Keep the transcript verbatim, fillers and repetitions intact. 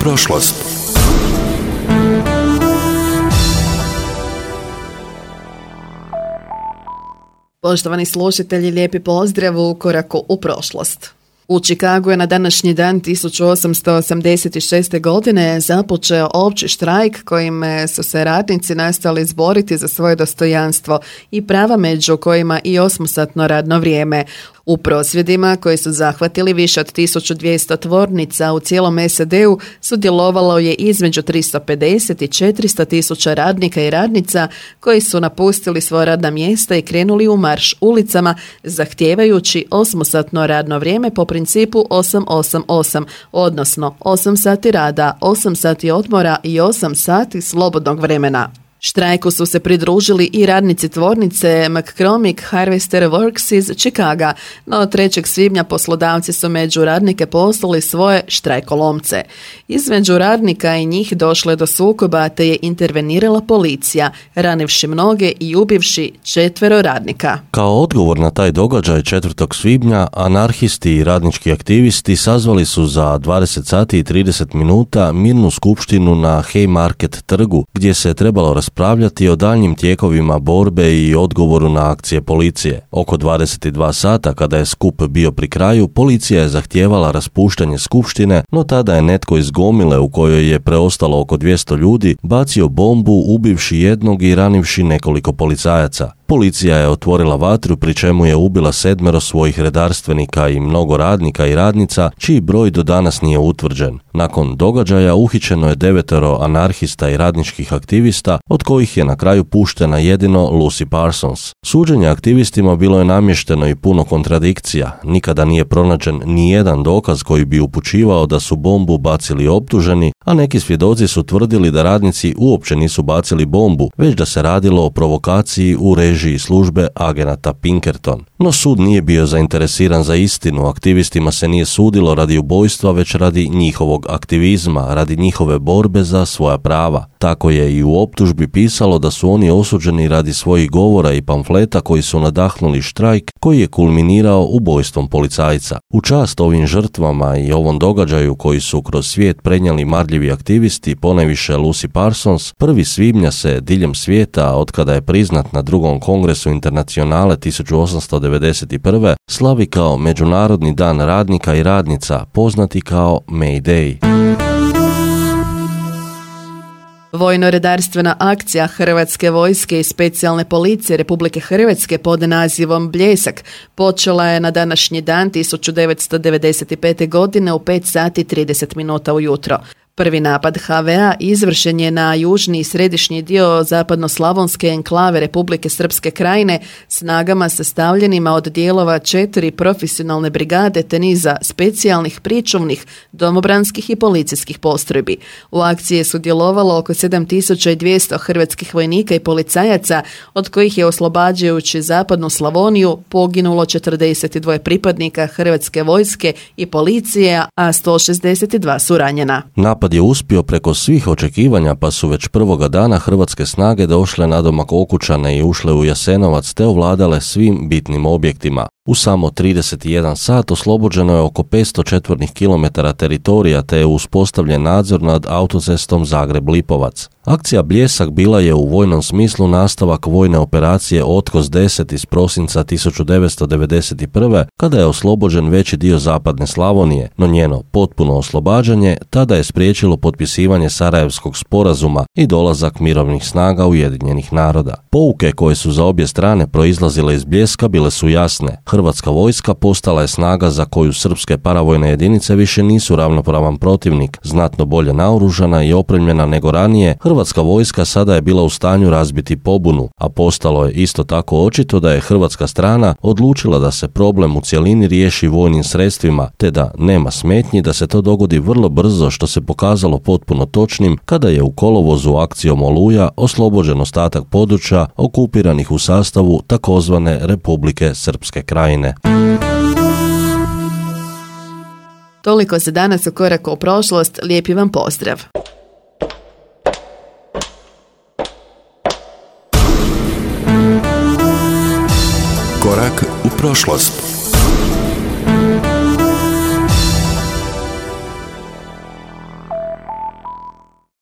prošlost. Poštovani slušatelji, lijepi pozdrav u koraku u prošlost. U Čikagu je na današnji dan tisuću osamsto osamdeset šeste. godine započeo opći štrajk kojim su se radnici nastali izboriti za svoje dostojanstvo i prava, među kojima i osmosatno radno vrijeme. U prosvjedima koji su zahvatili više od tisuću dvjesto tvornica u cijelom S A D-u sudjelovalo je između tristo pedeset i četiristo tisuća radnika i radnica koji su napustili svoja radna mjesta i krenuli u marš ulicama zahtijevajući osmosatno radno vrijeme po principu osam osam osam, odnosno osam sati rada, osam sati odmora i osam sati slobodnog vremena. Štrajku su se pridružili i radnici tvornice McCormick Harvester Works iz Čikaga, no trećeg svibnja poslodavci su među radnike poslali svoje štrajkolomce. Između radnika i njih došlo je do sukoba te je intervenirala policija, ranivši mnoge i ubivši četvero radnika. Kao odgovor na taj događaj četvrtog svibnja, anarhisti i radnički aktivisti sazvali su za dvadeset sati i trideset minuta mirnu skupštinu na Haymarket trgu, gdje se je trebalo raspravljati raspravljati o daljnjim tijekovima borbe i odgovoru na akcije policije. Oko dvadeset dva sata, kada je skup bio pri kraju, policija je zahtijevala raspuštanje skupštine, no tada je netko iz gomile u kojoj je preostalo oko dvjesto ljudi bacio bombu, ubivši jednog i ranivši nekoliko policajaca. Policija je otvorila vatru, pri čemu je ubila sedmero svojih redarstvenika i mnogo radnika i radnica, čiji broj do danas nije utvrđen. Nakon događaja uhićeno je devetero anarhista i radničkih aktivista, od kojih je na kraju puštena jedino Lucy Parsons. Suđenje aktivistima bilo je namješteno i puno kontradikcija. Nikada nije pronađen ni jedan dokaz koji bi upućivao da su bombu bacili optuženi, a neki svjedoci su tvrdili da radnici uopće nisu bacili bombu, već da se radilo o provokaciji u režiji službe agenata Pinkerton. No sud nije bio zainteresiran za istinu, aktivistima se nije sudilo radi ubojstva, već radi njihovog aktivizma, radi njihove borbe za svoja prava. Tako je i u optužbi pisalo da su oni osuđeni radi svojih govora i pamfleta koji su nadahnuli štrajk koji je kulminirao ubojstvom policajca. U čast ovim žrtvama i ovom događaju koji su kroz svijet prenijeli marljivi aktivisti, ponajviše Lucy Parsons, prvi svibnja se diljem svijeta, otkada je priznat na drugom kongresu Internacionale tisuću osamsto devedeset prve. slavi kao Međunarodni dan radnika i radnica, poznati kao May Day. Vojno-redarstvena akcija Hrvatske vojske i specijalne policije Republike Hrvatske pod nazivom Bljesak počela je na današnji dan tisuću devetsto devedeset pete. godine u pet sati i trideset minuta ujutro. Prvi napad H V A izvršen je na južni i središnji dio zapadnoslavonske enklave Republike Srpske Krajine snagama sastavljenima od dijelova četiri profesionalne brigade te niza specijalnih pričuvnih, domobranskih i policijskih postrojbi. U akciji je sudjelovalo oko sedam tisuća dvjesto hrvatskih vojnika i policajaca, od kojih je oslobađajući zapadnu Slavoniju poginulo četrdeset dva pripadnika Hrvatske vojske i policije, a sto šezdeset dva su ranjena. Napad je uspio preko svih očekivanja, pa su već prvoga dana hrvatske snage došle nadomak Okučane i ušle u Jasenovac te ovladale svim bitnim objektima. U samo trideset jedan sat oslobođeno je oko petsto četvornih kilometara teritorija te je uspostavljen nadzor nad autocestom Zagreb-Lipovac. Akcija Bljesak bila je u vojnom smislu nastavak vojne operacije Otkos deset iz prosinca tisuću devetsto devedeset prve. kada je oslobođen veći dio zapadne Slavonije, no njeno potpuno oslobađanje tada je spriječilo potpisivanje Sarajevskog sporazuma i dolazak mirovnih snaga Ujedinjenih naroda. Pouke koje su za obje strane proizlazile iz Bljeska bile su jasne. Hrvatska vojska postala je snaga za koju srpske paravojne jedinice više nisu ravnopravan protivnik, znatno bolje naoružana i opremljena nego ranije. Hrvatska vojska sada je bila u stanju razbiti pobunu, a postalo je isto tako očito da je hrvatska strana odlučila da se problem u cjelini riješi vojnim sredstvima, te da nema smetnji da se to dogodi vrlo brzo, što se pokazalo potpuno točnim kada je u kolovozu akcijom Oluja oslobođen ostatak područja okupiranih u sastavu takozvane Republike Srpske Krajine. Toliko za danas u koraku u prošlost, lijepi vam pozdrav. Korak u prošlost.